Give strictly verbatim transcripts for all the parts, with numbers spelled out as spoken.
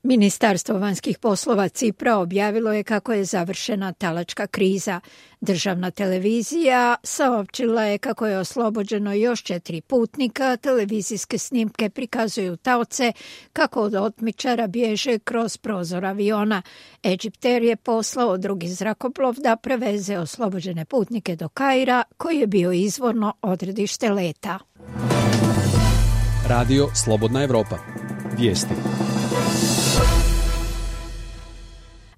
Ministarstvo vanjskih poslova Cipra objavilo je kako je završena talačka kriza. Državna televizija saopćila je kako je oslobođeno još četiri putnika. Televizijske snimke prikazuju taoce kako od otmičara bježe kroz prozor aviona. Egypter je poslao drugi zrakoplov da preveze oslobođene putnike do Kaira, koji je bio izvorno odredište leta. Radio Slobodna Evropa. Vijesti.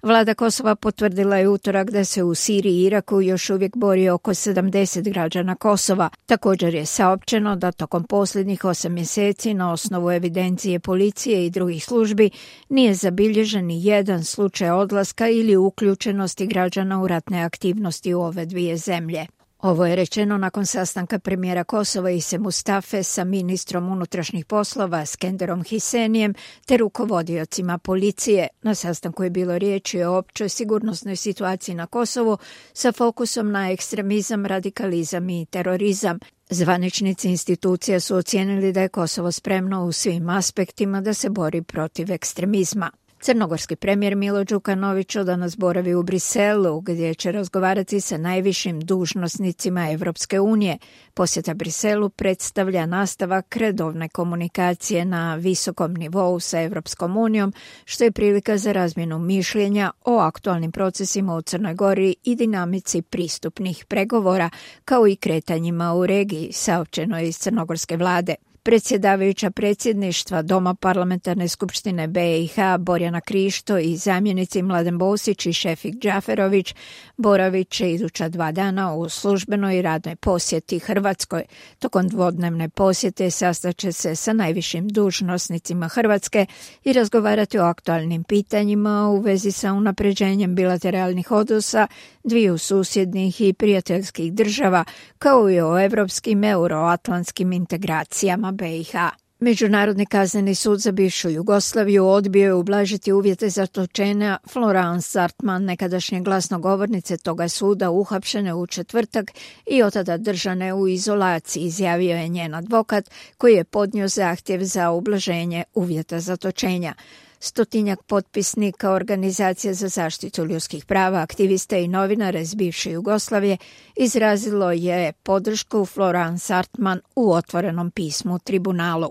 Vlada Kosova potvrdila je utorak da se u Siriji i Iraku još uvijek bori oko sedamdeset građana Kosova. Također je saopćeno da tokom posljednjih osam mjeseci na osnovu evidencije policije i drugih službi nije zabilježen ni jedan slučaj odlaska ili uključenosti građana u ratne aktivnosti u ove dvije zemlje. Ovo je rečeno nakon sastanka premijera Kosova Ise Mustafe sa ministrom unutrašnjih poslova Skenderom Hisenijem te rukovodiocima policije. Na sastanku je bilo riječi o općoj sigurnosnoj situaciji na Kosovu sa fokusom na ekstremizam, radikalizam i terorizam. Zvaničnici institucija su ocijenili da je Kosovo spremno u svim aspektima da se bori protiv ekstremizma. Crnogorski premijer Milo Đukanović danas boravi u Briselu, gdje će razgovarati sa najvišim dužnosnicima Evropske unije. Posjeta Briselu predstavlja nastavak redovne komunikacije na visokom nivou sa Evropskom unijom, što je prilika za razmjenu mišljenja o aktualnim procesima u Crnoj Gori i dinamici pristupnih pregovora, kao i kretanjima u regiji, saopćeno je iz crnogorske vlade. Predsjedavajuća predsjedništva Doma parlamentarne skupštine B i H Borjana Krišto i zamjenici Mladen Bosić i Šefik Džaferović boravit će iduća dva dana u službenoj i radnoj posjeti Hrvatskoj. Tokom dvodnevne posjete sastaće se sa najvišim dužnosnicima Hrvatske i razgovarati o aktualnim pitanjima u vezi sa unapređenjem bilateralnih odnosa dviju susjednih i prijateljskih država, kao i o evropskim euroatlantskim integracijama B i H. Međunarodni kazneni sud za bivšu Jugoslaviju odbio je ublažiti uvjete zatočenja Florence Sartman, nekadašnje glasnogovornice toga suda, uhapšene u četvrtak i od tada držane u izolaciji, izjavio je njen advokat koji je podnio zahtjev za ublaženje uvjeta zatočenja. Stotinjak potpisnika Organizacije za zaštitu ljudskih prava, aktiviste i novinare iz bivše Jugoslavije izrazilo je podršku Florence Sartman u otvorenom pismu tribunalu.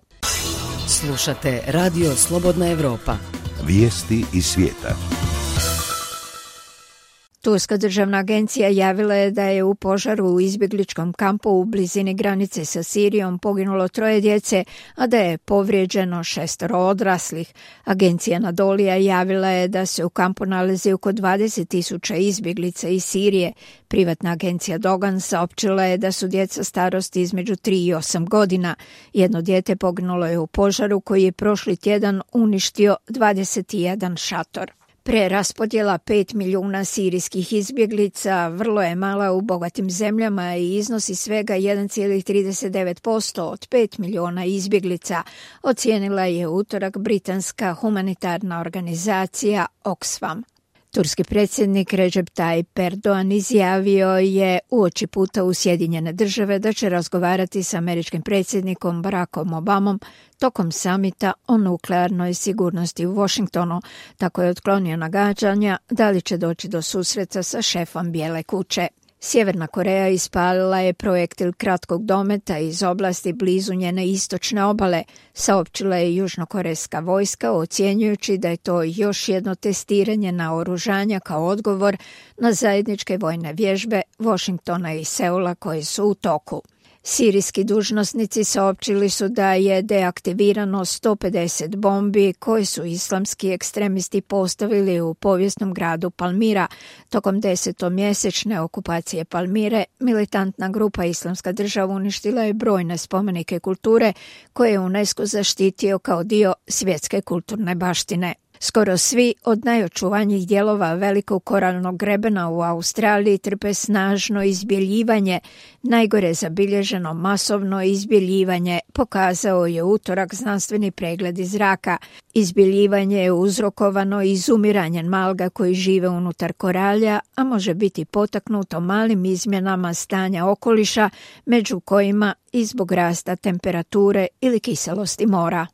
Slušate Radio Slobodna Evropa. Vijesti iz svijeta. Turska državna agencija javila je da je u požaru u izbjegličkom kampu u blizini granice sa Sirijom poginulo troje djece, a da je povrijeđeno šestoro odraslih. Agencija Nadolija javila je da se u kampu nalazi oko dvadeset tisuća izbjeglica iz Sirije. Privatna agencija Dogan saopćila je da su djeca starosti između tri i osam godina. Jedno dijete poginulo je u požaru koji je prošli tjedan uništio dvadeset jedan šator. Preraspodjela pet milijuna sirijskih izbjeglica vrlo je mala u bogatim zemljama i iznosi svega jedan zarez trideset devet posto od pet milijuna izbjeglica, ocijenila je utorak britanska humanitarna organizacija Oxfam. Turski predsjednik Recep Tayyip Erdogan izjavio je uoči puta u Sjedinjene države da će razgovarati s američkim predsjednikom Barackom Obamom tokom samita o nuklearnoj sigurnosti u Washingtonu. Tako je otklonio nagađanja da li će doći do susreta sa šefom Bijele kuće. Sjeverna Koreja ispalila je projektil kratkog dometa iz oblasti blizu njene istočne obale, saopćila je južnokorejska vojska, ocjenjujući da je to još jedno testiranje naoružanja kao odgovor na zajedničke vojne vježbe Washingtona i Seula koje su u toku. Sirijski dužnosnici saopćili su da je deaktivirano sto pedeset bombi koje su islamski ekstremisti postavili u povijesnom gradu Palmira. Tokom desetomjesečne okupacije Palmire, militantna grupa Islamska država uništila je brojne spomenike kulture koje je UNESCO zaštitio kao dio svjetske kulturne baštine. Skoro svi od najočuvanijih dijelova velikog koralnog grebena u Australiji trpe snažno izbjeljivanje. Najgore zabilježeno masovno izbjeljivanje pokazao je utorak znanstveni pregled iz zraka. Izbjeljivanje je uzrokovano izumiranjem alga koji žive unutar koralja, a može biti potaknuto malim izmjenama stanja okoliša, među kojima i zbog rasta temperature ili kiselosti mora.